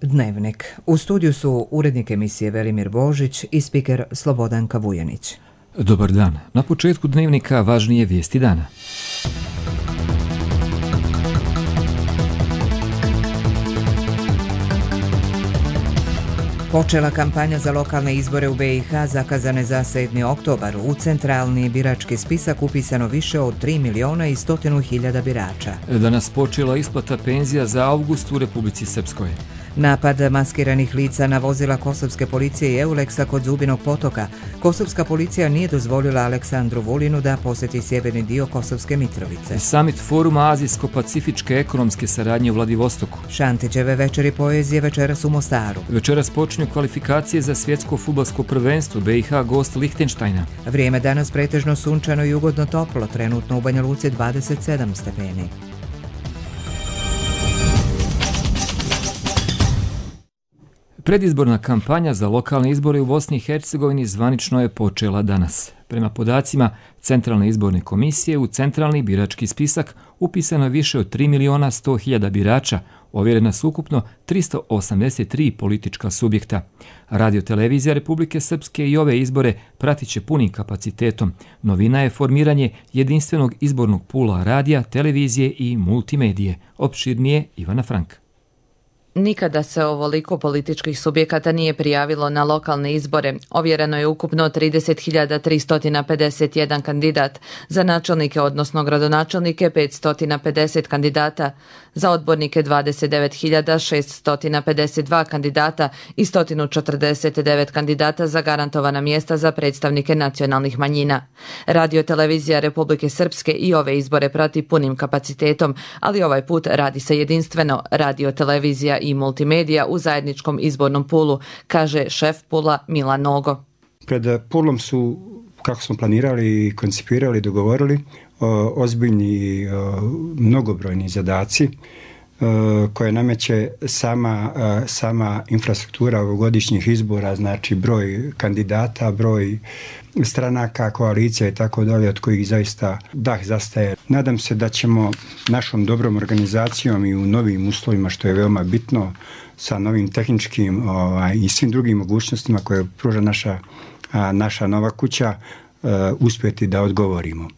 Dnevnik. U studiju su urednik emisije Velimir Božić i spiker Slobodanka Vujanić. Dobar dan. Na početku Dnevnika važnije vijesti dana. Počela kampanja za lokalne izbore u BiH zakazane za 7. oktobar. U centralni birački spisak upisano više od 3.100.000 birača. Danas počela isplata penzija za avgust u Republici Srpskoj. Napad maskiranih lica na vozila kosovske policije i Euleksa kod Zubinog potoka. Kosovska policija nije dozvolila Aleksandru Vulinu da posjeti sjeverni dio Kosovske Mitrovice. Summit Foruma Azijsko-pacifičke ekonomske saradnje u Vladivostoku. Šantićeve večeri poezije večeras u Mostaru. Večeras počinju kvalifikacije za svjetsko fudbalsko prvenstvo, BiH gost Lihtenštajna. Vrijeme danas pretežno sunčano i ugodno toplo, trenutno u Banja Luci 27 stepeni. Predizborna kampanja za lokalne izbore u Bosni i Hercegovini zvanično je počela danas. Prema podacima Centralne izborne komisije u centralni birački spisak upisano je više od 3.100.000 birača, ovjerena su ukupno 383 politička subjekta. Radio-televizija Republike Srpske i ove izbore pratit će punim kapacitetom. Novina je formiranje jedinstvenog izbornog pula radija, televizije i multimedije. Opširnije Ivana Frank. Nikada se ovoliko političkih subjekata nije prijavilo na lokalne izbore. Ovjereno je ukupno 30.351 kandidat, za načelnike odnosno gradonačelnike 550 kandidata, za odbornike 29.652 kandidata i 149 kandidata za garantovana mjesta za predstavnike nacionalnih manjina. Radio-televizija Republike Srpske i ove izbore prati punim kapacitetom, ali ovaj put radi se jedinstveno. Radio-televizija i multimedija u zajedničkom izbornom pulu, kaže šef pula Milan Nogo. Pred pulom su, kako smo planirali i koncipirali, dogovorili, ozbiljni i mnogobrojni zadaci koje nameće sama infrastruktura ovogodišnjih izbora, znači broj kandidata, broj stranaka, koalicija i tako dalje, od kojih zaista dah zastaje. Nadam se da ćemo našom dobrom organizacijom i u novim uslovima, što je veoma bitno, sa novim tehničkim i svim drugim mogućnostima koje pruža naša nova kuća, uspjeti da odgovorimo.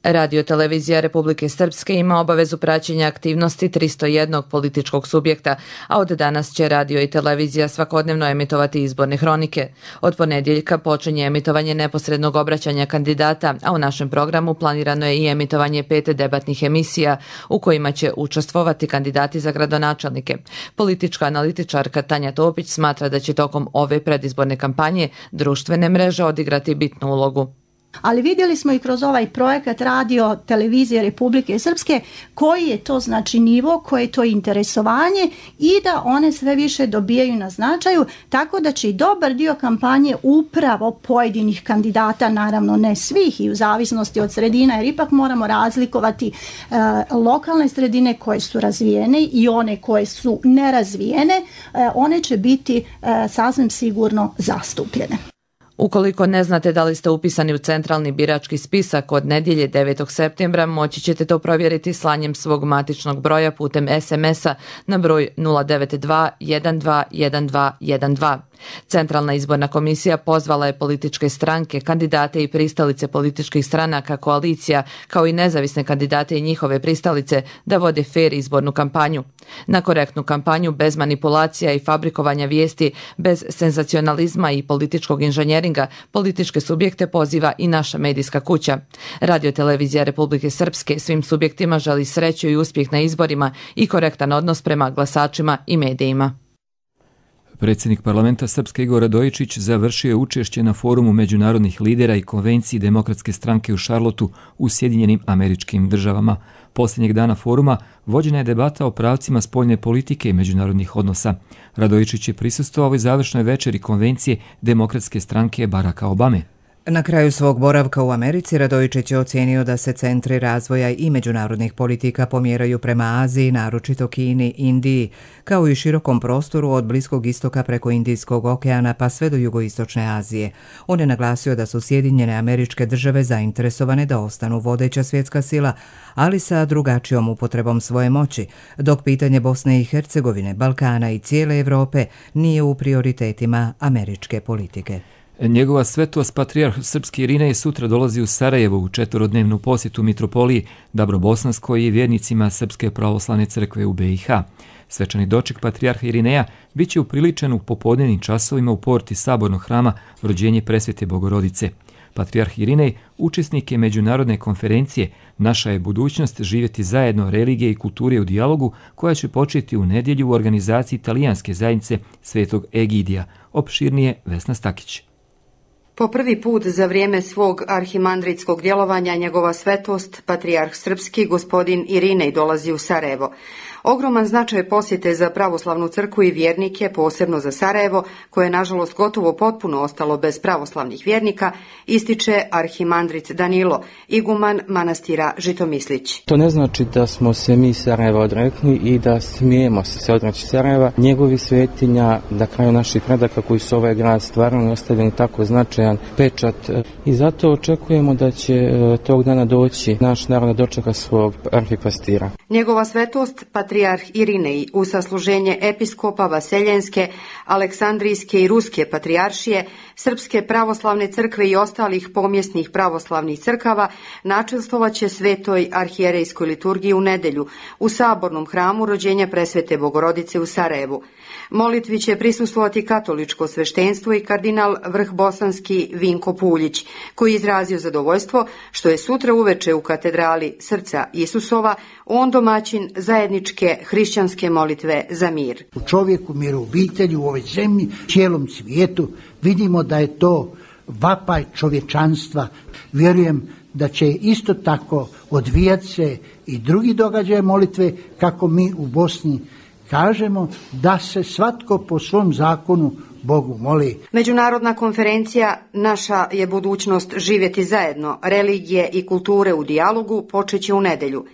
Radio-televizija Republike Srpske ima obavezu praćenja aktivnosti 301 političkog subjekta, a od danas će radio i televizija svakodnevno emitovati izborne hronike. Od ponedjeljka počinje emitovanje neposrednog obraćanja kandidata, a u našem programu planirano je i emitovanje 5 debatnih emisija u kojima će učestvovati kandidati za gradonačelnike. Politička analitičarka Tanja Topić smatra da će tokom ove predizborne kampanje društvene mreže odigrati bitnu ulogu. Ali vidjeli smo i kroz ovaj projekat radio televizije Republike Srpske koji je to znači nivo, koje je to interesovanje i da one sve više dobijaju na značaju, tako da će i dobar dio kampanje upravo pojedinih kandidata, naravno ne svih i u zavisnosti od sredina, jer ipak moramo razlikovati lokalne sredine koje su razvijene i one koje su nerazvijene, one će biti sasvim sigurno zastupljene. Ukoliko ne znate da li ste upisani u centralni birački spisak, od nedjelje 9. septembra moći ćete to provjeriti slanjem svog matičnog broja putem SMS-a na broj 092 12 12 12. Centralna izborna komisija pozvala je političke stranke, kandidate i pristalice političkih stranaka, koalicija, kao i nezavisne kandidate i njihove pristalice da vode fer izbornu kampanju. Na korektnu kampanju bez manipulacija i fabrikovanja vijesti, bez senzacionalizma i političkog inženjeringa, političke subjekte poziva i naša medijska kuća. Radio-televizija Republike Srpske svim subjektima želi sreću i uspjeh na izborima i korektan odnos prema glasačima i medijima. Predsjednik parlamenta Srpske Igor Radojičić završio je učešće na forumu međunarodnih lidera i konvenciji Demokratske stranke u Charlotteu u Sjedinjenim Američkim Državama. Posljednjeg dana foruma vođena je debata o pravcima spoljne politike i međunarodnih odnosa. Radojičić je prisustvovao ovoj završnoj večeri konvencije Demokratske stranke Baracka Obame. Na kraju svog boravka u Americi Radojičić je ocijenio da se centri razvoja i međunarodnih politika pomjeraju prema Aziji, naročito Kini, Indiji, kao i širokom prostoru od Bliskog istoka preko Indijskog okeana pa sve do jugoistočne Azije. On je naglasio da su Sjedinjene Američke Države zainteresovane da ostanu vodeća svjetska sila, ali sa drugačijom upotrebom svoje moći, dok pitanje Bosne i Hercegovine, Balkana i cijele Europe nije u prioritetima američke politike. Njegova svetost patrijarh srpski Irinej sutra dolazi u Sarajevo u 4-dnevnu posjetu mitropoliji Dabrobosanskoj i vjernicima Srpske pravoslavne crkve u BiH. Svečani doček patrijarha Irineja bit će upriličen u popodnevnim časovima u porti Sabornog hrama Rođenje Presvete Bogorodice. Patrijarh Irinej učesnik je međunarodne konferencije Naša je budućnost živjeti zajedno religije i kulture u dijalogu, koja će početi u nedjelju u organizaciji Italijanske zajednice Svetog Egidija. Opširnije Vesna Stakić. Po prvi put za vrijeme svog arhimandritskog djelovanja njegova svetost, patrijarh srpski gospodin Irinej dolazi u Sarajevo. Ogroman značaj posjete za pravoslavnu crkvu i vjernike, posebno za Sarajevo, koje je nažalost gotovo potpuno ostalo bez pravoslavnih vjernika, ističe arhimandrit Danilo, iguman manastira Žitomislić. To ne znači da smo se mi Sarajeva odrekli i da smijemo se odreći Sarajeva, njegovih svetinja, na kraju naših predaka koji su ovaj grad stvarno ostavili tako značajan pečat. I zato očekujemo da će tog dana doći naš narod da dočeka svog arhipastira. Njegova svetost, patrijarh Irinej, u sasluženje episkopa Vaseljenske, Aleksandrijske i Ruske patrijaršije, Srpske pravoslavne crkve i ostalih pomjesnih pravoslavnih crkava načelstovaće svetoj arhijerejskoj liturgiji u nedjelju u Sabornom hramu Rođenja Presvete Bogorodice u Sarajevu. Molitvi će prisustvovati katoličko sveštenstvo i kardinal vrhbosanski Vinko Puljić, koji je izrazio zadovoljstvo što je sutra uveče u katedrali Srca Isusova on domaćin zajedničke hrišćanske molitve za mir. U čovjeku, mir u obitelji, u ovoj zemlji, cijelom svijetu, vidimo da je to vapaj čovječanstva. Vjerujem da će isto tako odvijati se i drugi događaje molitve, kako mi u Bosni kažemo, da se svatko po svom zakonu Bogu moli. Međunarodna konferencija Naša je budućnost živjeti zajedno, religije i kulture u dijalogu počeće u nedjelju.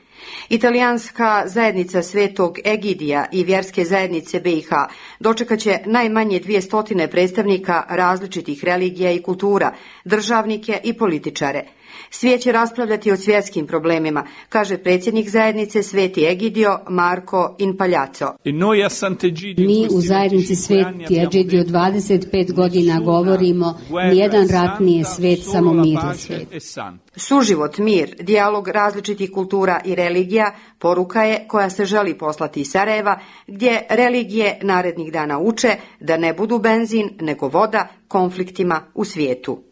Italijanska zajednica Svetog Egidija i vjerske zajednice BiH dočekat će najmanje 200 predstavnika različitih religija i kultura, državnike i političare. Svijet će raspravljati o svjetskim problemima, kaže predsjednik zajednice Sveti Egidio Marko Inpagliazzo. Mi u zajednici Sveti Egidio 25 godina govorimo, nijedan rat nije svet, samo mir je svet. Suživot, mir, dijalog različitih kultura i religija poruka je koja se želi poslati iz Sarajeva, gdje religije narednih dana uče da ne budu benzin nego voda konfliktima u svijetu.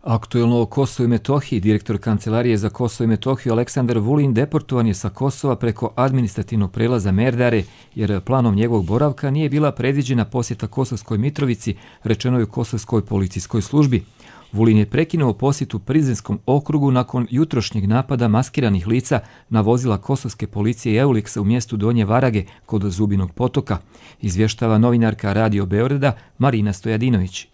Aktuelno o Kosovu i Metohiji, direktor Kancelarije za Kosovo i Metohiju Aleksandar Vulin deportovan je sa Kosova preko administrativnog prelaza Merdare, jer planom njegovog boravka nije bila predviđena posjeta Kosovskoj Mitrovici, rečeno je u Kosovskoj policijskoj službi. Vulin je prekinuo posjetu Prizrenskom okrugu nakon jutrošnjeg napada maskiranih lica na vozila kosovske policije Euleksa u mjestu Donje Varage kod Zubinog potoka, izvještava novinarka Radio Beograda Marina Stojadinović.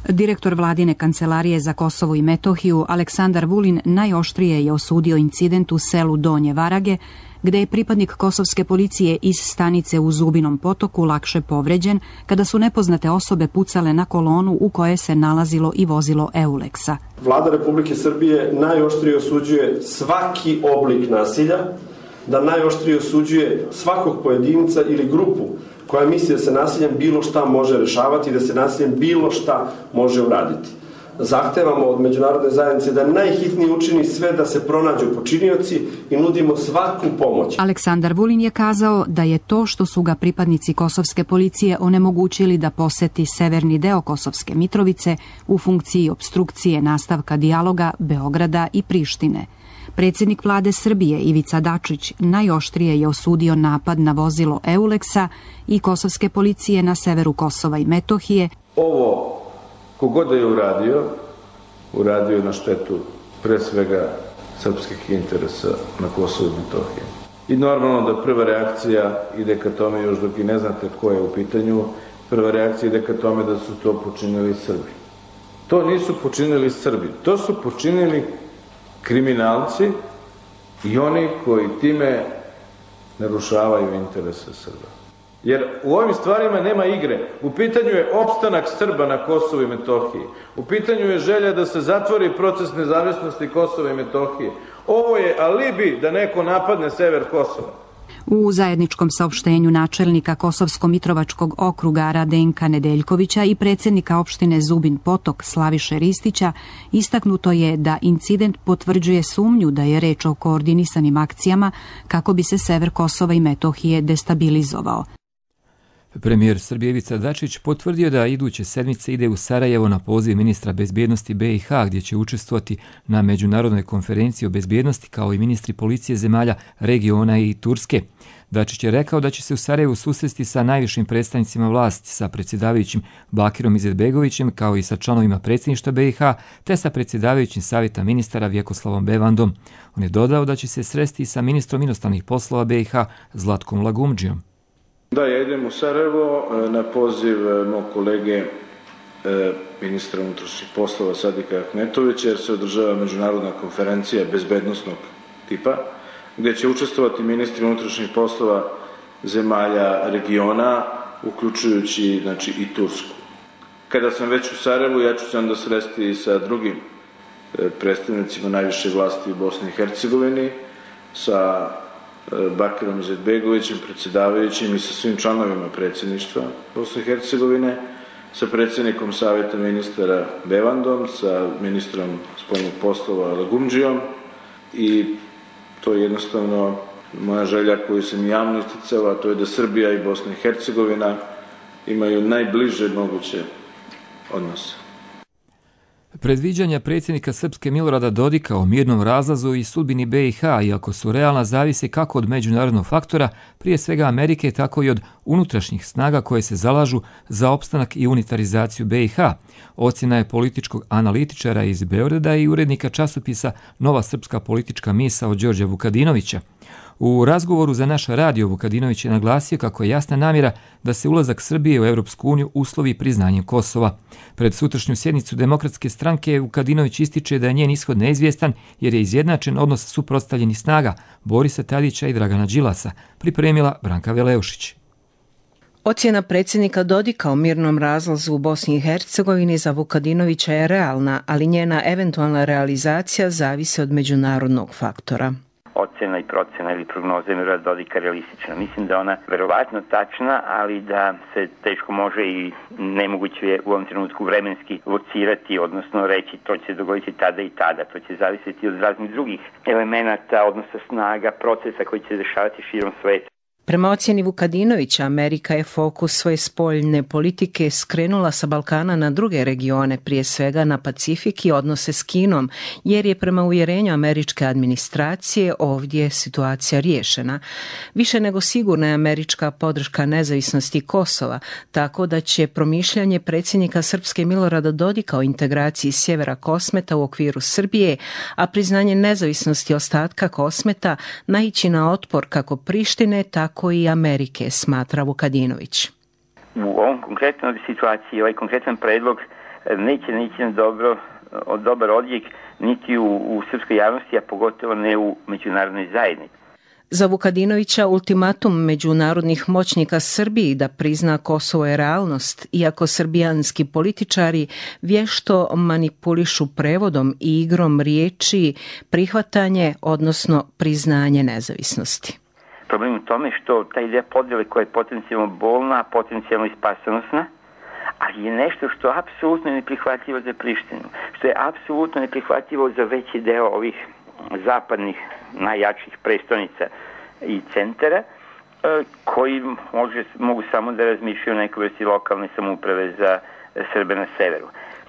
Direktor vladine kancelarije za Kosovo i Metohiju Aleksandar Vulin najoštrije je osudio incident u selu Donje Varage, gdje je pripadnik kosovske policije iz stanice u Zubinom potoku lakše povređen kada su nepoznate osobe pucale na kolonu u kojoj se nalazilo i vozilo Euleksa. Vlada Republike Srbije najoštrije osuđuje svaki oblik nasilja, da najoštrije osuđuje svakog pojedinca ili grupu koja misli da se nasiljem bilo šta može rešavati i da se nasiljem bilo šta može uraditi. Zahtevamo od međunarodne zajednice da najhitnije učini sve da se pronađu počinioci i nudimo svaku pomoć. Aleksandar Vulin je kazao da je to što su ga pripadnici kosovske policije onemogućili da poseti severni deo Kosovske Mitrovice u funkciji opstrukcije nastavka dijaloga Beograda i Prištine. Predsjednik vlade Srbije Ivica Dačić najoštrije je osudio napad na vozilo Euleksa i kosovske policije na severu Kosova i Metohije. Ovo kogod je uradio na štetu pre svega srpskih interesa na Kosovu i Metohiji. I normalno da prva reakcija ide ka tome, još dok i ne znate ko je u pitanju, prva reakcija ide ka tome da su to počinili Srbi. To nisu počinili Srbi, to su počinili kriminalci i oni koji time narušavaju interese Srba. Jer u ovim stvarima nema igre. U pitanju je opstanak Srba na Kosovu i Metohiji. U pitanju je želja da se zatvori proces nezavisnosti Kosova i Metohije. Ovo je alibi da neko napadne sever Kosova. U zajedničkom saopštenju načelnika Kosovsko-Mitrovačkog okruga Radenka Nedeljkovića i predsjednika opštine Zubin Potok Slaviše Ristića istaknuto je da incident potvrđuje sumnju da je reč o koordinisanim akcijama kako bi se sever Kosova i Metohije destabilizovao. Premijer Srbije Ivica Dačić potvrdio da iduće sedmice ide u Sarajevo na poziv ministra bezbjednosti BiH, gdje će učestvovati na međunarodnoj konferenciji o bezbjednosti kao i ministri policije zemalja regiona i Turske. Dačić je rekao da će se u Sarajevu susresti sa najvišim predstavnicima vlasti, sa predsjedavajućim Bakirom Izetbegovićem kao i sa članovima predsjedništva BiH, te sa predsjedavajućim savjeta ministara Vjekoslavom Bevandom. On je dodao da će se sresti sa ministrom inostranih poslova BiH Zlatkom Lagumdžijom. Da, ja idem u Sarajevo na poziv mog kolege ministra unutrašnjih poslova Sadika Ahmetovića, jer se održava međunarodna konferencija bezbednosnog tipa, gdje će učestvovati ministri unutrašnjih poslova zemalja regiona, uključujući i Tursku. Kada sam već u Sarajevu, ja ću se onda sresti i sa drugim predstavnicima najviše vlasti u Bosni i Hercegovini, sa Bakirom Izetbegovićem, predsjedavajućim i sa svim članovima predsjedništva Bosne i Hercegovine, sa predsjednikom savjeta ministara Bevandom, sa ministrom spoljnih poslova Lagumdžijom, i to je jednostavno moja želja koju sam javno isticala, a to je da Srbija i Bosna i Hercegovina imaju najbliže moguće odnose. Predviđanja predsjednika Srpske Milorada Dodika o mirnom razlazu i sudbini BiH, iako su realna, zavise kako od međunarodnog faktora, prije svega Amerike, tako i od unutrašnjih snaga koje se zalažu za opstanak i unitarizaciju BiH. Ocjena je političkog analitičara iz Beograda i urednika časopisa Nova srpska politička misao Đorđa Vukadinovića. U razgovoru za naš radio Vukadinović je naglasio kako je jasna namjera da se ulazak Srbije u Europsku uniju uslovi priznanjem Kosova. Pred sutrašnju sjednicu Demokratske stranke Vukadinović ističe da je njen ishod neizvjestan jer je izjednačen odnos suprotstavljenih snaga Borisa Tadića i Dragana Đilasa, pripremila Branka Veleušić. Ocjena predsjednika Dodika o mirnom razlazu u Bosni i Hercegovini za Vukadinovića je realna, ali njena eventualna realizacija zavisi od međunarodnog faktora. Ocjena i procjena ili prognoza Milorada Dodika realistična. Mislim da ona verovatno tačna, ali da se teško može i nemoguće je u ovom trenutku vremenski locirati, odnosno reći to će se dogoditi tada i tada. To će zavisiti od raznih drugih elemenata, odnosa snaga, procesa koji će se dešavati širom sveta. Prema ocjeni Vukadinovića, Amerika je fokus svoje spoljne politike skrenula sa Balkana na druge regione, prije svega na Pacifik i odnose s Kinom, jer je prema uvjerenju američke administracije ovdje situacija riješena. Više nego sigurna je američka podrška nezavisnosti Kosova, tako da će promišljanje predsjednika Srpske Milorada Dodika o integraciji sjevera Kosmeta u okviru Srbije, a priznanje nezavisnosti ostatka Kosmeta naići na otpor kako Prištine, tako i Amerike, smatra Vukadinović. U ovom konkretnoj situaciji, ovaj konkretan predlog neće na dobar odjek niti u srpskoj javnosti, a pogotovo ne u međunarodnoj zajednici. Za Vukadinovića ultimatum međunarodnih moćnika Srbiji da prizna Kosovo je realnost, iako srbijanski političari vješto manipulišu prevodom i igrom riječi prihvatanje, odnosno priznanje nezavisnosti. Problem u tome što ta ideja podjele koja je potencijalno bolna, potencijalno i spasonosna, ali je nešto što je apsolutno neprihvatljivo za Prištinu, što je apsolutno neprihvatljivo za veći deo ovih zapadnih najjačih prestonica i centara, koji mogu samo da razmišljaju o nekoj vrsti lokalne samouprave za Srbe na severu.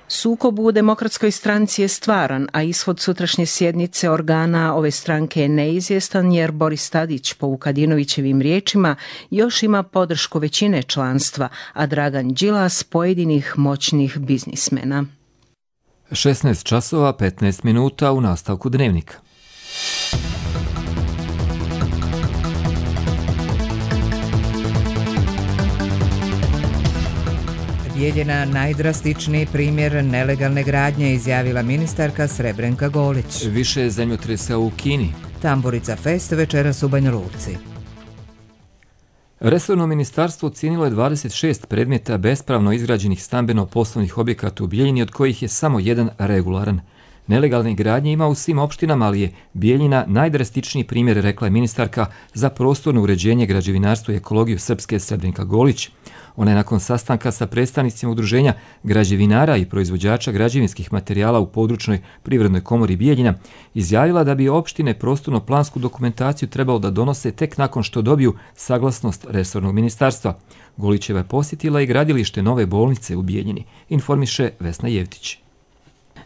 Sukob u Demokratskoj stranci je stvaran, a ishod sutrašnje sjednice organa ove stranke je neizvjestan jer Boris Tadić, po Vukadinovićevim riječima, još ima podršku većine članstva, a Dragan Đilas pojedinih moćnih biznismena. 16 časova 15 minuta u nastavku Dnevnika. Bijeljina najdrastičniji primjer nelegalne gradnje, izjavila ministarka Srebrenka Golić. Više zemljotresa u Kini. Tamburica Fest večeras u Banja Luci. Resorno ministarstvo ocijenilo je 26 predmeta bespravno izgrađenih stambeno-poslovnih objekata u Bijeljini, od kojih je samo jedan regularan. Nelegalne gradnje ima u svim opštinama, ali je Bijeljina najdrastičniji primjer, rekla je ministarka za prostorno uređenje, građevinarstvo i ekologiju Srpske Srebrenka Golić. Ona je nakon sastanka sa predstavnicima udruženja građevinara i proizvođača građevinskih materijala u područnoj privrednoj komori Bijeljina izjavila da bi opštine prostorno-plansku dokumentaciju trebalo da donose tek nakon što dobiju saglasnost resornog ministarstva. Golićeva je posjetila i gradilište nove bolnice u Bijeljini, informiše Vesna Jevtić.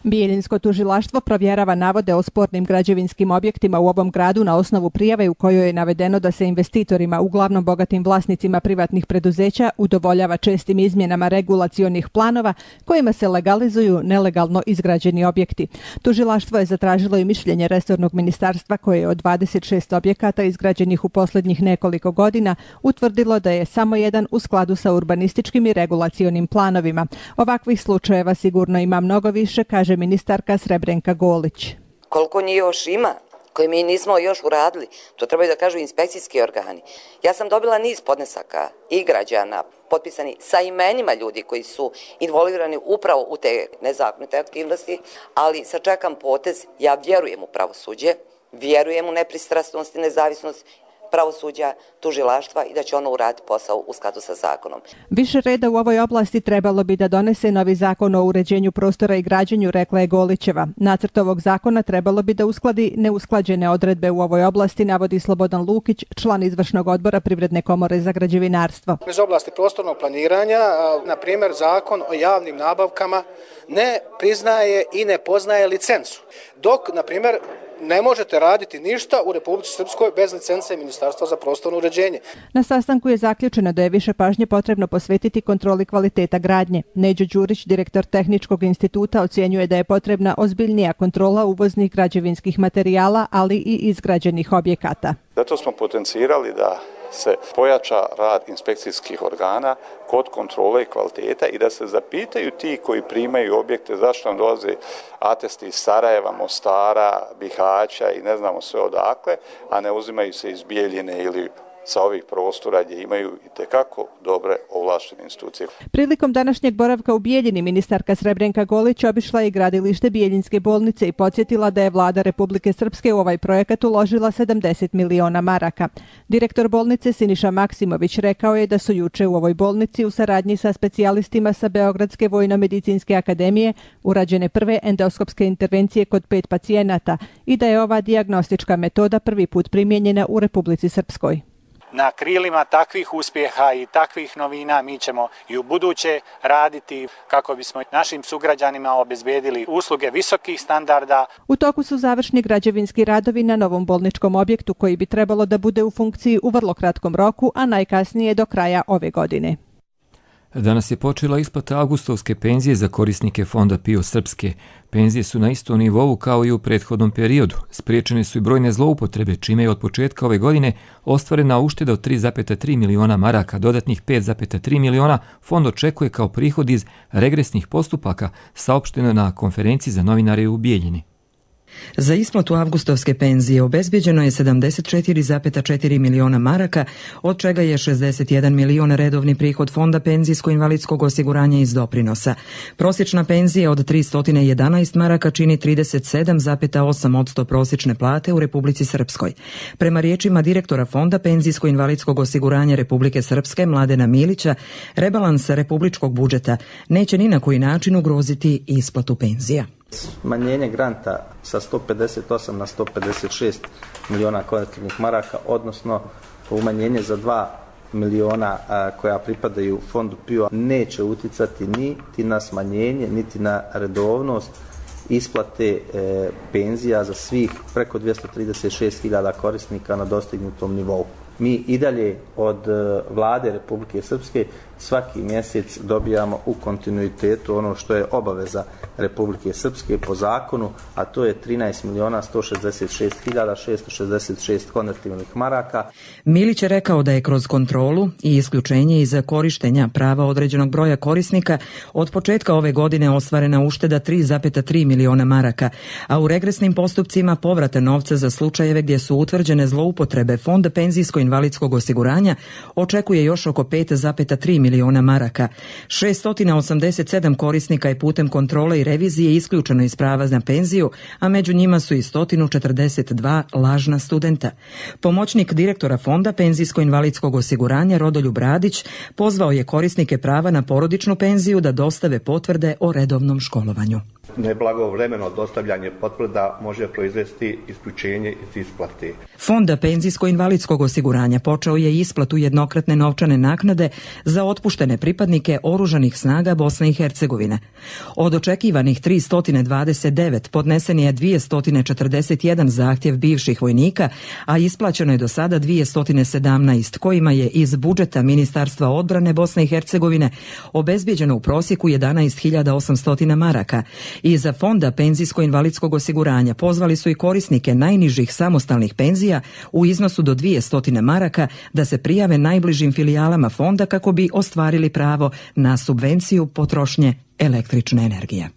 Bijeljinsko tužilaštvo provjerava navode o spornim građevinskim objektima u ovom gradu na osnovu prijave u kojoj je navedeno da se investitorima, uglavnom bogatim vlasnicima privatnih preduzeća, udovoljava čestim izmjenama regulacionih planova kojima se legalizuju nelegalno izgrađeni objekti. Tužilaštvo je zatražilo i mišljenje resornog ministarstva koje je od 26 objekata izgrađenih u posljednjih nekoliko godina utvrdilo da je samo jedan u skladu sa urbanističkim i regulacionim planovima. Ovakvih slučajeva sigurno ima mnogo više, kaže ministarka Srebrenka Golić. Koliko njih još ima koje mi nismo još uradili, to trebaju da kažu inspekcijski organi. Ja sam dobila niz podnesaka i građana potpisani sa imenima ljudi koji su involvirani upravo u te nezakonite aktivnosti, ali sačekam potez, ja vjerujem u pravosuđe, vjerujem u nepristrasnost i nezavisnost pravosuđa, tužilaštva i da će ono uraditi posao u skladu sa zakonom. Više reda u ovoj oblasti trebalo bi da donese novi zakon o uređenju prostora i građenju, rekla je Golićeva. Nacrt ovog zakona trebalo bi da uskladi neusklađene odredbe u ovoj oblasti, navodi Slobodan Lukić, član izvršnog odbora Privredne komore za građevinarstvo. Iz oblasti prostornog planiranja, na primjer, zakon o javnim nabavkama ne priznaje i ne poznaje licencu. Dok, na primjer, ne možete raditi ništa u Republici Srpskoj bez licence Ministarstva za prostorno uređenje. Na sastanku je zaključeno da je više pažnje potrebno posvetiti kontroli kvaliteta gradnje. Neđo Đurić, direktor Tehničkog instituta, ocjenjuje da je potrebna ozbiljnija kontrola uvoznih građevinskih materijala, ali i izgrađenih objekata. Zato smo potencirali da se pojača rad inspekcijskih organa kod kontrole i kvaliteta i da se zapitaju ti koji primaju objekte zašto nam dolaze atesti iz Sarajeva, Mostara, Bihaća i ne znamo sve odakle, a ne uzimaju se iz Bijeljine ili sa ovih prostora gdje imaju itekako dobre ovlaštene institucije. Prilikom današnjeg boravka u Bijeljini, ministarka Srebrenka Golić obišla je gradilište Bijeljinske bolnice i podsjetila da je vlada Republike Srpske u ovaj projekat uložila 70 miliona maraka. Direktor bolnice Siniša Maksimović rekao je da su juče u ovoj bolnici u saradnji sa specijalistima sa Beogradske vojno-medicinske akademije urađene prve endoskopske intervencije kod 5 pacijenata i da je ova dijagnostička metoda prvi put primijenjena u Republici Srpskoj. Na krilima takvih uspjeha i takvih novina mi ćemo i u buduće raditi kako bismo našim sugrađanima obezbedili usluge visokih standarda. U toku su završni građevinski radovi na novom bolničkom objektu koji bi trebalo da bude u funkciji u vrlo kratkom roku, a najkasnije do kraja ove godine. Danas je počela isplata avgustovske penzije za korisnike Fonda PIO Srpske. Penzije su na istom nivou kao i u prethodnom periodu. Spriječene su i brojne zloupotrebe, čime je od početka ove godine ostvarena ušteda od 3,3 miliona maraka. Dodatnih 5,3 miliona fond očekuje kao prihod iz regresnih postupaka, saopšteno na konferenciji za novinare u Bijeljini. Za isplatu avgustovske penzije obezbeđeno je 74,4 miliona maraka, od čega je 61 milion redovni prihod Fonda penzijsko-invalidskog osiguranja iz doprinosa. Prosječna penzija od 311 maraka čini 37,8% prosječne plate u Republici Srpskoj. Prema riječima direktora Fonda penzijsko-invalidskog osiguranja Republike Srpske Mladena Milića, rebalans republičkog budžeta neće ni na koji način ugroziti isplatu penzija. Smanjenje granta sa 158 na 156 miliona kvadratnih maraka, odnosno umanjenje za 2 miliona koja pripadaju fondu PIO neće uticati niti na smanjenje, niti na redovnost isplate penzija za svih preko 236.000 korisnika na dostignutom nivou. Mi i dalje od vlade Republike Srpske svaki mjesec dobijamo u kontinuitetu ono što je obaveza Republike Srpske po zakonu, a to je 13.166.666 konvertibilnih maraka. Milić je rekao da je kroz kontrolu i isključenje iz korištenja prava određenog broja korisnika od početka ove godine ostvarena ušteda 3,3 miliona maraka, a u regresnim postupcima povrata novca za slučajeve gdje su utvrđene zloupotrebe Fonda penzijsko-invalidskog osiguranja očekuje još oko 5,3 miliona maraka. 687 korisnika je putem kontrole i revizije isključeno iz prava na penziju, a među njima su i 142 lažna studenta. Pomoćnik direktora Fonda penzijsko-invalidskog osiguranja Rodoljub Radić pozvao je korisnike prava na porodičnu penziju da dostave potvrde o redovnom školovanju. Neblagovremeno dostavljanje potvrda može proizvesti isključenje iz isplate. Fonda penzijsko-invalidskog osiguranja počeo je isplatu jednokratne novčane naknade za otpuštene pripadnike oružanih snaga Bosne i Hercegovine. Od očekivanih 329 podnesen je 241 zahtjev bivših vojnika, a isplaćeno je do sada 217, kojima je iz budžeta Ministarstva odbrane Bosne i Hercegovine obezbijeđeno u prosjeku 11.800 maraka. Iza Fonda penzijsko-invalidskog osiguranja pozvali su i korisnike najnižih samostalnih penzija u iznosu do 200 maraka da se prijave najbližim filijalama fonda kako bi ostvarili pravo na subvenciju potrošnje električne energije.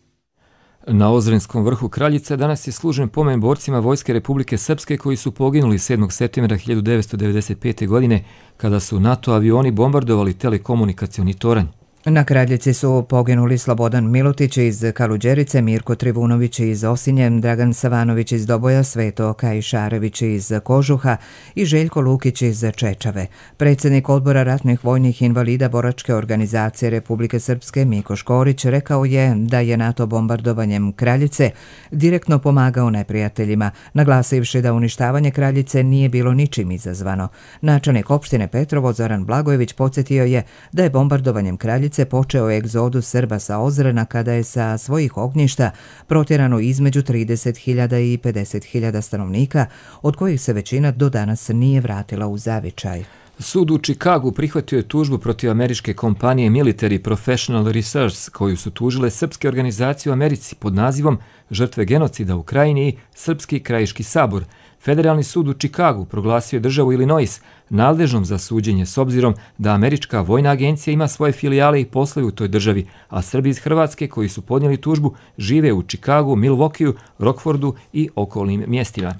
Na Ozrenskom vrhu Kraljica danas je služen pomen borcima Vojske Republike Srpske koji su poginuli 7. septembra 1995. godine kada su NATO avioni bombardovali telekomunikacioni toranj. Na Kraljici su poginuli Slobodan Milutić iz Kaluđerice, Mirko Trivunović iz Osinje, Dragan Savanović iz Doboja, Sveto Kajšarević iz Kožuha i Željko Lukić iz Čečave. Predsjednik odbora ratnih vojnih invalida Boračke organizacije Republike Srpske Miko Škorić rekao je da je NATO bombardovanjem Kraljice direktno pomagao neprijateljima, naglasivši da uništavanje Kraljice nije bilo ničim izazvano. Načelnik opštine Petrovo Zoran Blagojević podsjetio je da je bombardovanjem Kraljice počeo egzodus Srba sa Ozrena kada je sa svojih ognjišta protjerano između 30.000 i 50.000 stanovnika, od kojih se većina do danas nije vratila u zavičaj. Sud u Čikagu prihvatio je tužbu protiv američke kompanije Military Professional Research, koju su tužile srpske organizacije u Americi pod nazivom Žrtve genocida u Krajini i Srpski krajiški sabor. Federalni sud u Čikagu proglasio je državu Illinois nadležnom za suđenje s obzirom da američka vojna agencija ima svoje filijale i poslove u toj državi, a Srbi iz Hrvatske koji su podnijeli tužbu žive u Čikagu, Milwaukeeu, Rockfordu i okolnim mjestima.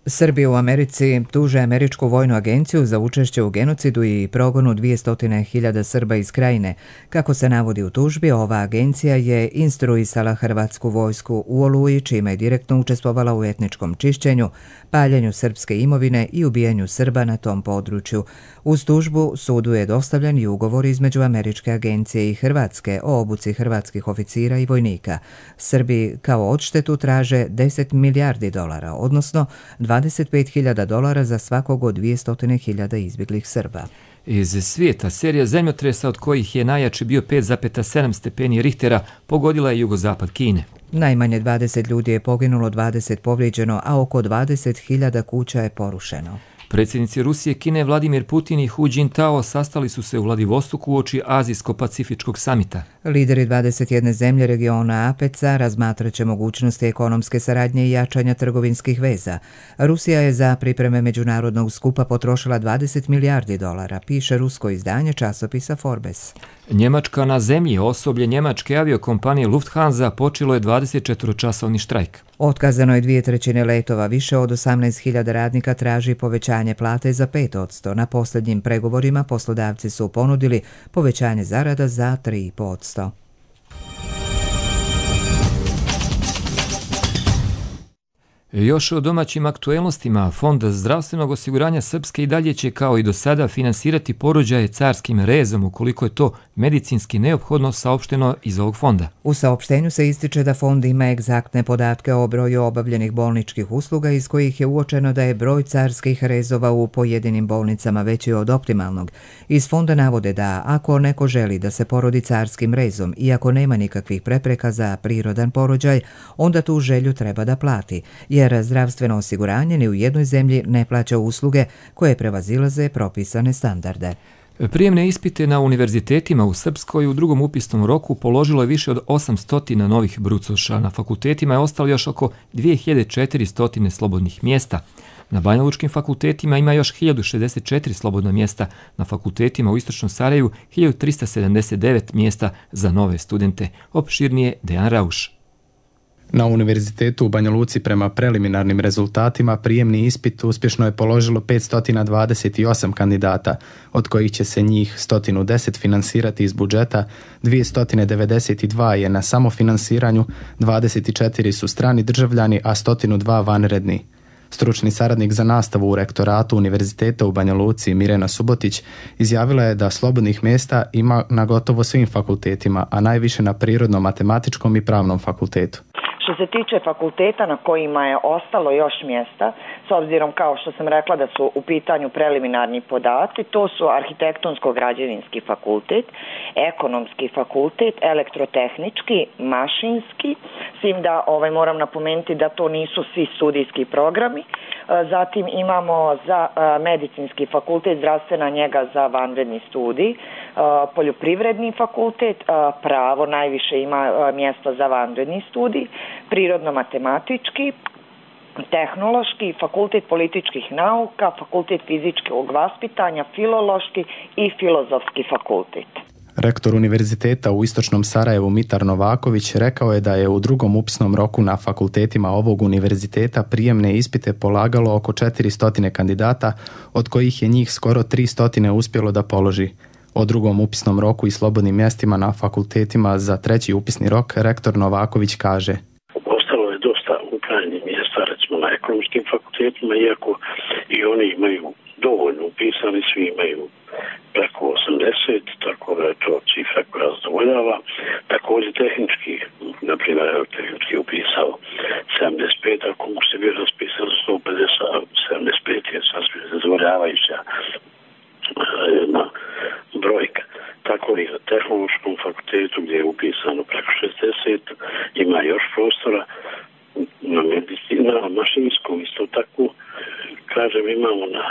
Srbi u Americi tuže američku vojnu agenciju za učešće u genocidu i progonu 200.000 Srba iz Krajine. Kako se navodi u tužbi, ova agencija je instruisala hrvatsku vojsku u Oluji, čime je direktno učestvovala u etničkom čišćenju, paljenju srpske imovine i ubijanju Srba na tom području. Uz tužbu sudu je dostavljen i ugovor između američke agencije i Hrvatske o obuci hrvatskih oficira i vojnika. Srbi kao odštetu traže $10 milijardi, odnosno $25.000 za svakog od 200.000 izbjeglih Srba. Iz svijeta serija zemljotresa od kojih je najjači bio 5,7 stepeni Richtera pogodila je jugozapad Kine. Najmanje 20 ljudi je poginulo, 20 povrijeđeno, a oko 20.000 kuća je porušeno. Predsjednici Rusije, Kine, Vladimir Putin i Hu Jintao sastali su se u Vladivostoku uoči Azijsko-Pacifičkog samita. Lideri 21 zemlje regiona APEC-a razmatraće mogućnosti ekonomske saradnje i jačanja trgovinskih veza. Rusija je za pripreme međunarodnog skupa potrošila $20 milijardi, piše rusko izdanje časopisa Forbes. Njemačka na zemlji, osoblje njemačke aviokompanije Lufthansa počelo je 24-časovni štrajk. Otkazano je 2/3 letova, više od 18.000 radnika traži povećanje plate za 5%. Na posljednjim pregovorima poslodavci su ponudili povećanje zarada za 3%. Još o domaćim aktuelnostima, Fond zdravstvenog osiguranja Srpske i dalje će kao i do sada finansirati porođaje carskim rezom ukoliko je to medicinski neophodno, saopšteno iz ovog fonda. U saopštenju se ističe da fond ima egzaktne podatke o broju obavljenih bolničkih usluga iz kojih je uočeno da je broj carskih rezova u pojedinim bolnicama veći od optimalnog. Iz fonda navode da ako neko želi da se porodi carskim rezom i ako nema nikakvih prepreka za prirodan porođaj, onda tu želju treba da plati, jer zdravstveno osiguranje ni u jednoj zemlji ne plaća usluge koje prevazilaze propisane standarde. Prijemne ispite na univerzitetima u Srpskoj u drugom upisnom roku položilo je više od 800 novih brucoša. Na fakultetima je ostalo još oko 2400 slobodnih mjesta. Na banjalučkim fakultetima ima još 1064 slobodna mjesta, na fakultetima u Istočnom Sarajevu 1379 mjesta za nove studente. Opširnije Dejan Rauš. Na univerzitetu u Banja Luci prema preliminarnim rezultatima prijemni ispit uspješno je položilo 528 kandidata, od kojih će se njih 110 finansirati iz budžeta, 292 je na samofinansiranju, 24 su strani državljani, a 102 vanredni. Stručni saradnik za nastavu u rektoratu Univerziteta u Banja Luci Mirena Subotić izjavila je da slobodnih mjesta ima na gotovo svim fakultetima, a najviše na prirodno-matematičkom i pravnom fakultetu. Što se tiče fakulteta na kojima je ostalo još mjesta, s obzirom kao što sam rekla da su u pitanju preliminarni podaci, to su arhitektonsko-građevinski fakultet, ekonomski fakultet, elektrotehnički, mašinski, s tim da moram napomenuti da to nisu svi studijski programi. Zatim imamo za medicinski fakultet, zdravstvena njega za vanredni studij, poljoprivredni fakultet, pravo najviše ima mjesta za vanredni studij, prirodno-matematički, tehnološki, fakultet političkih nauka, fakultet fizičkog vaspitanja, filološki i filozofski fakultet. Rektor Univerziteta u Istočnom Sarajevu Mitar Novaković rekao je da je u drugom upisnom roku na fakultetima ovog univerziteta prijemne ispite polagalo oko 400 kandidata, od kojih je njih skoro 300 uspjelo da položi. O drugom upisnom roku i slobodnim mjestima na fakultetima za treći upisni rok rektor Novaković kaže: Ostalo je dosta upravljenih mjesta, recimo na ekonomskim fakultetima, iako i oni imaju dovoljno upisani, svi imaju preko 80, tako da je to cifra koja zadovoljava. Također tehnički, na primjer, tehnički upisao 75, ako mu se bio raspisao 150, 75 je sasvim zadovoljavajuća jedna brojka. Tako i na tehnološkom fakultetu gdje je upisano preko 60, ima još prostora. Na mašinskom isto tako, kažem, imamo na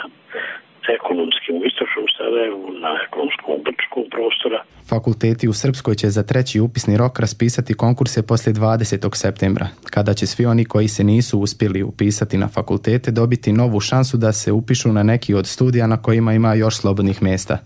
ekonomskim u Istočnom Sarajevu, na ekonomskom Brčkom prostora. Fakulteti u Srpskoj će za treći upisni rok raspisati konkurse poslije 20. septembra, kada će svi oni koji se nisu uspjeli upisati na fakultete dobiti novu šansu da se upišu na neki od studija na kojima ima još slobodnih mjesta.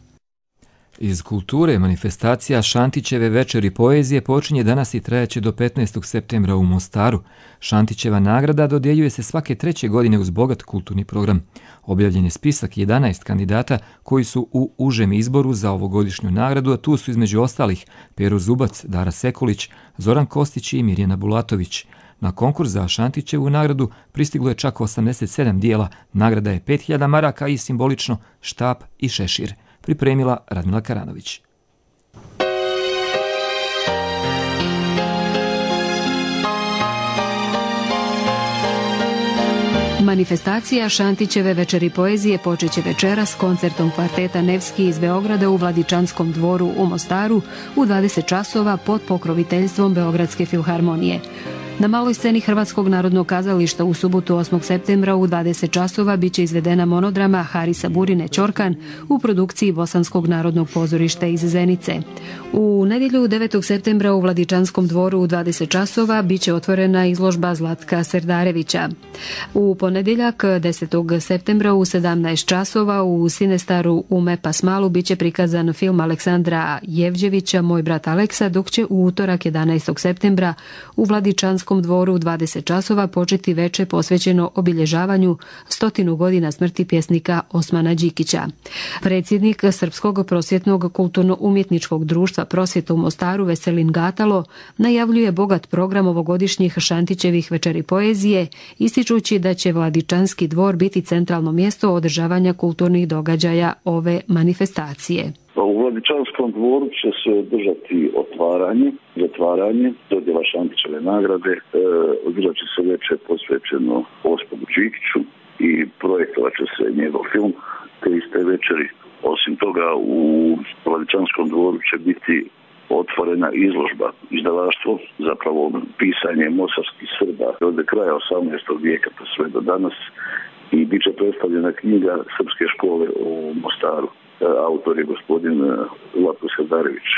Iz kulture manifestacija Šantićeve večeri poezije počinje danas i trajaće do 15. septembra u Mostaru. Šantićeva nagrada dodjeljuje se svake 3. godine uz bogat kulturni program. Objavljen je spisak 11 kandidata koji su u užem izboru za ovogodišnju nagradu, a tu su između ostalih Pero Zubac, Dara Sekulić, Zoran Kostić i Mirjana Bulatović. Na konkurs za Šantićevu nagradu pristiglo je čak 87 dijela, nagrada je 5000 maraka i simbolično štap i šešir. Pripremila Radmila Karanović. Manifestacija Šantićeve večeri poezije počeće večeras s koncertom kvarteta Nevski iz Beograda u Vladičanskom dvoru u Mostaru u 20 časova pod pokroviteljstvom Beogradske filharmonije. Na maloj sceni Hrvatskog narodnog kazališta u subotu 8. septembra u 20 časova biće izvedena monodrama Harisa Burine Ćorkan u produkciji Bosanskog narodnog pozorišta iz Zenice. U nedjelju 9. septembra u Vladičanskom dvoru u 20 časova biće otvorena izložba Zlatka Serdarevića. U ponedjeljak 10. septembra u 17 časova u Sinestaru u Mepasmalu biće prikazan film Aleksandra Jevđevića Moj brat Aleksa, dok će u utorak 11. septembra u Vladičanskom dvoru u 20 časova početi veče posvećeno obilježavanju 100 godina smrti pjesnika Osmana Đikića. Predsjednik Srpskog prosvjetnog kulturno-umjetničkog društva Prosvjeta u Mostaru Veselin Gatalo najavljuje bogat program ovogodišnjih Šantićevih večeri poezije, ističući da će Vladičanski dvor biti centralno mjesto održavanja kulturnih događaja ove manifestacije. U Vladičanskom dvoru će se održati otvaranje, zatvaranje, dodjela Šantićeve nagrade, održat će se večer posvećeno Osmanu Đikiću i projektovat će se njegov film te iste večeri. Osim toga, u Vladičanskom dvoru će biti otvorena izložba, izdavaštvo, zapravo pisanje mostarskih Srba od kraja 18. vijeka pa sve do danas, i bit će predstavljena knjiga Srpske škole u Mostaru. autor je gospodin Zlatko Srdarević.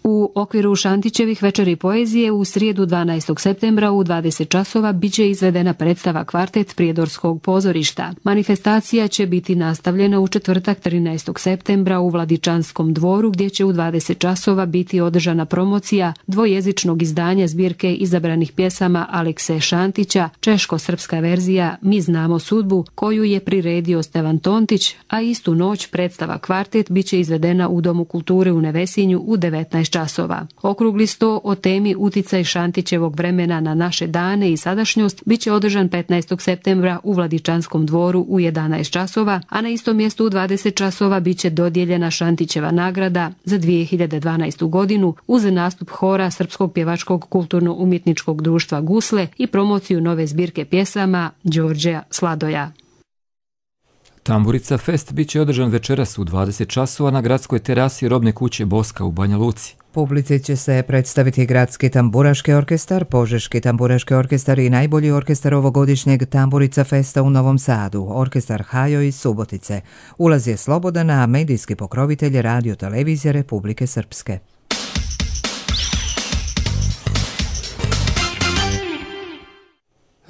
U okviru Šantićevih večeri poezije u srijedu 12. septembra u 20 časova biće izvedena predstava Kvartet Prijedorskog pozorišta. Manifestacija će biti nastavljena u četvrtak 13. septembra u Vladičanskom dvoru gdje će u 20 časova biti održana promocija dvojezičnog izdanja zbirke izabranih pjesama Alekse Šantića, češko-srpska verzija Mi znamo sudbu, koju je priredio Stevan Tontić, a istu noć predstava Kvartet biće izvedena u Domu kulture u Nevesinju u 19 časova. Okrugli sto o temi uticaj Šantićevog vremena na naše dane i sadašnjost biće održan 15. septembra u Vladičanskom dvoru u 11 časova, a na istom mjestu u 20 časova biće dodijeljena Šantićeva nagrada za 2012. godinu uz nastup hora Srpskog pjevačkog kulturno-umjetničkog društva Gusle i promociju nove zbirke pjesama Đorđeja Sladoja. Tamburica Fest biće održan večeras u 20 časova na gradskoj terasi Robne kuće Boska u Banja Luci. Publici će se predstaviti Gradski tamburaški orkestar, Požeški tamburaški orkestar i najbolji orkestar ovogodišnjeg Tamburica Festa u Novom Sadu, orkestar Hajo iz Subotice. Ulaz je slobodan, a medijski pokrovitelj je Radio televizija Republike Srpske.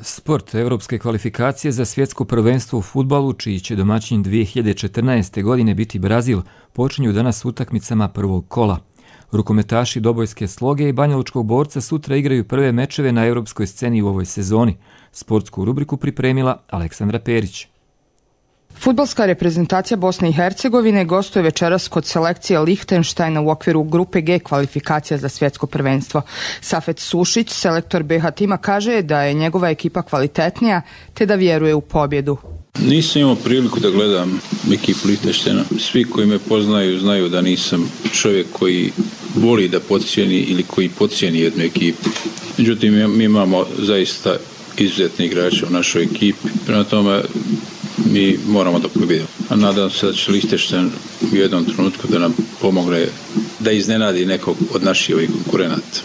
Sport, evropske kvalifikacije za svjetsko prvenstvo u fudbalu, čiji će domaćin 2014. godine biti Brazil, počinju danas utakmicama prvog kola. Rukometaši Dobojske Sloge i Banjalučkog Borca sutra igraju prve mečeve na europskoj sceni u ovoj sezoni. Sportsku rubriku pripremila Aleksandra Perić. Fudbalska reprezentacija Bosne i Hercegovine gostuje večeras kod selekcije Lihtenštajna u okviru grupe G kvalifikacija za svjetsko prvenstvo. Safet Sušić, selektor BH tima, kaže da je njegova ekipa kvalitetnija te da vjeruje u pobjedu. Nisam imao priliku da gledam ekipu Lihtenštajna. Svi koji me poznaju znaju da nisam čovjek koji voli da podcijeni ili koji podcijeni jednu ekipu. Međutim, mi imamo zaista izuzetne igrače u našoj ekipi. Prema tome, mi moramo da pobjedimo. A nadam se da će Lihtenštajn u jednom trenutku da nam pomogne da iznenadi nekog od naših ovih konkurenata.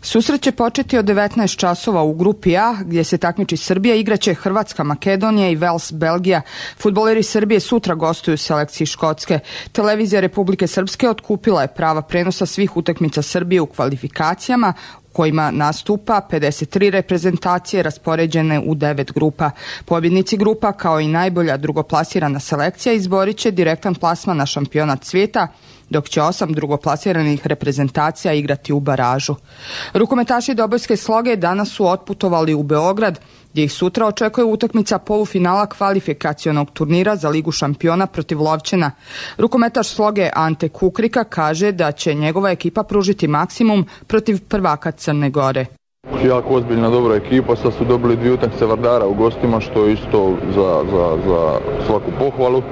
Susret će početi od 19 časova u grupi A, gdje se takmiči Srbija, igraće Hrvatska, Makedonija i Vels, Belgija. Fudbaleri Srbije sutra gostuju u selekciji Škotske. Televizija Republike Srpske otkupila je prava prenosa svih utakmica Srbije u kvalifikacijama, kojima nastupa 53 reprezentacije raspoređene u 9 grupa. Pobjednici grupa, kao i najbolja drugoplasirana selekcija, izborit će direktan plasman na šampionat svijeta, dok će 8 drugoplasiranih reprezentacija igrati u baražu. Rukometaši Dobojske Sloge danas su otputovali u Beograd, gdje ih sutra očekuje utakmica polufinala kvalifikacionog turnira za Ligu šampiona protiv Lovćena. Rukometaš Sloge Ante Kukrika kaže da će njegova ekipa pružiti maksimum protiv prvaka Crne Gore. Jako ozbiljna dobra ekipa, sad su dobili 2 utakmice Vardara u gostima, što je isto za svaku pohvalu.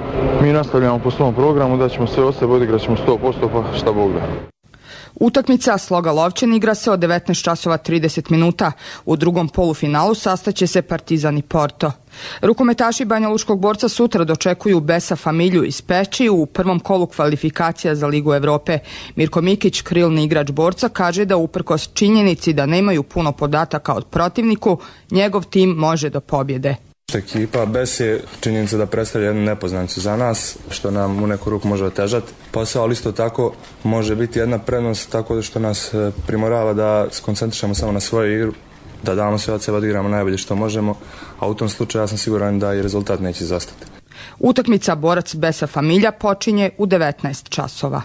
Mi nastavljamo po svom programu, da ćemo sve od sebe, odigrat ćemo 100%, pa šta Bog da. Utakmica Sloga Lovćen igra se od 19 časova 30 minuta. U drugom polufinalu sastaće se Partizan i Porto. Rukometaši Banjalučkog Borca sutra dočekuju Besa Familju iz Peći u prvom kolu kvalifikacija za Ligu Evrope. Mirko Mikić, krilni igrač Borca, kaže da uprkos činjenici da nemaju puno podataka od protivniku, njegov tim može do pobjede. Ekipa Bes je činjenica da predstavlja jednu nepoznanicu za nas, što nam u neku ruku može otežati posao, ali isto tako može biti jedna prednost tako što nas primorava da se koncentrišemo samo na svoju igru, da damo sve od sebe, da igramo najbolje što možemo, a u tom slučaju ja sam siguran da i rezultat neće izostati. Utakmica Borac Besa Familja počinje u 19 časova.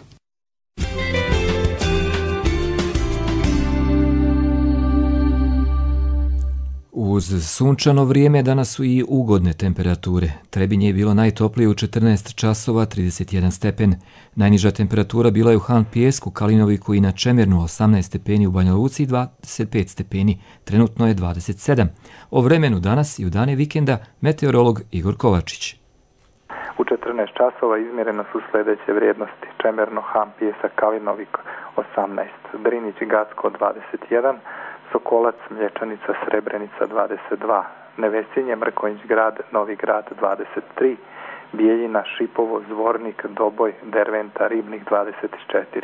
Uz sunčano vrijeme danas su i ugodne temperature. Trebinje je bilo najtoplije u 14 časova 31 stepen. Najniža temperatura bila je u Han Pijesku, Kalinoviku i na Čemernu 18 stepeni, u Banja Luci 25 stepeni. Trenutno je 27. O vremenu danas i u dane vikenda meteorolog Igor Kovačić. U 14 časova izmjereno su sljedeće vrijednosti. Čemerno, Han Pijesak, Kalinovik 18, Drinić, Gacko 21, Sokolac, Mlječanica, Srebrenica 22, Nevesinje, Mrkonjić grad, Novi grad 23, Bijeljina, Šipovo, Zvornik, Doboj, Derventa, Ribnik 24,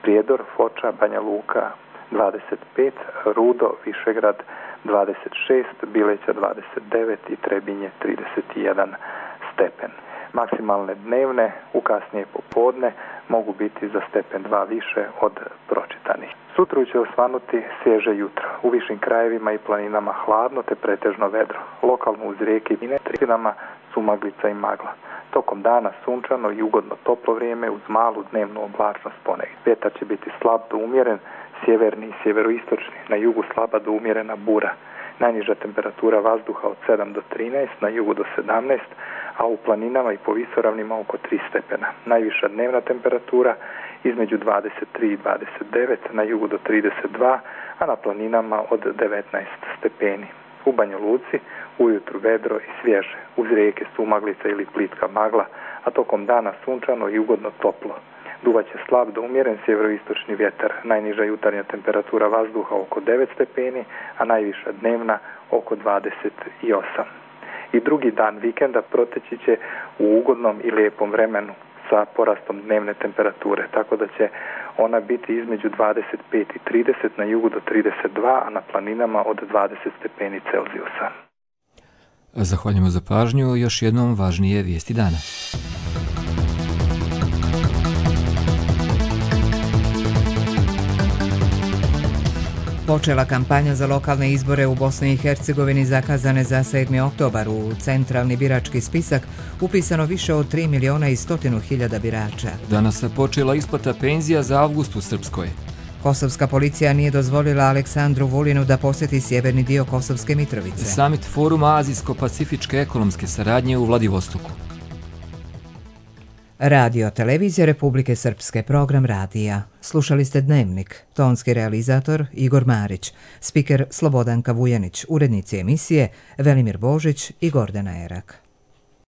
Prijedor, Foča, Banja Luka 25, Rudo, Višegrad 26, Bileća 29 i Trebinje 31 stepen. Maksimalne dnevne u kasnije popodne mogu biti za stepen 2 više od pročitanih. Sutra će osvanuti svježe jutro. U višim krajevima i planinama hladno te pretežno vedro. Lokalno uz rijeke i trećinama sumaglica i magla. Tokom dana sunčano i ugodno toplo vrijeme uz malu dnevnu oblačnost ponegdje. Vjetar će biti slab do umjeren, sjeverni i sjeveroistočni, na jugu slaba do umjerena bura. Najniža temperatura vazduha od 7 do 13, na jugu do 17, a u planinama i po visoravnima oko 3 stepena. Najviša dnevna temperatura između 23 i 29, na jugu do 32, a na planinama od 19 stepeni. U Banja Luci ujutru vedro i svježe, uz rijeke sumaglica ili plitka magla, a tokom dana sunčano i ugodno toplo. Duvaće slab do umjeren sjeveroistočni vjetar, najniža jutarnja temperatura vazduha oko 9 stepeni, a najviša dnevna oko 28. I drugi dan vikenda proteći će u ugodnom i lijepom vremenu sa porastom dnevne temperature, tako da će ona biti između 25 i 30, na jugu do 32, a na planinama od 20 stepeni Celzijusa. Zahvaljujemo za pažnju, još jednom važnije vijesti dana. Počela kampanja za lokalne izbore u Bosni i Hercegovini zakazane za 7. oktobar. U centralni birački spisak upisano više od 3 miliona i 100.000 birača. Danas se počela isplata penzija za avgust u Srpskoj. Kosovska policija nije dozvolila Aleksandru Vulinu da posjeti sjeverni dio Kosovske Mitrovice. Summit Foruma Azijsko-pacifičke ekonomske saradnje u Vladivostoku. Radio Televizija Republike Srpske, program radija. Slušali ste Dnevnik, tonski realizator Igor Marić, spiker Slobodanka Vujanić, urednici emisije Velimir Božić i Gordana Erak.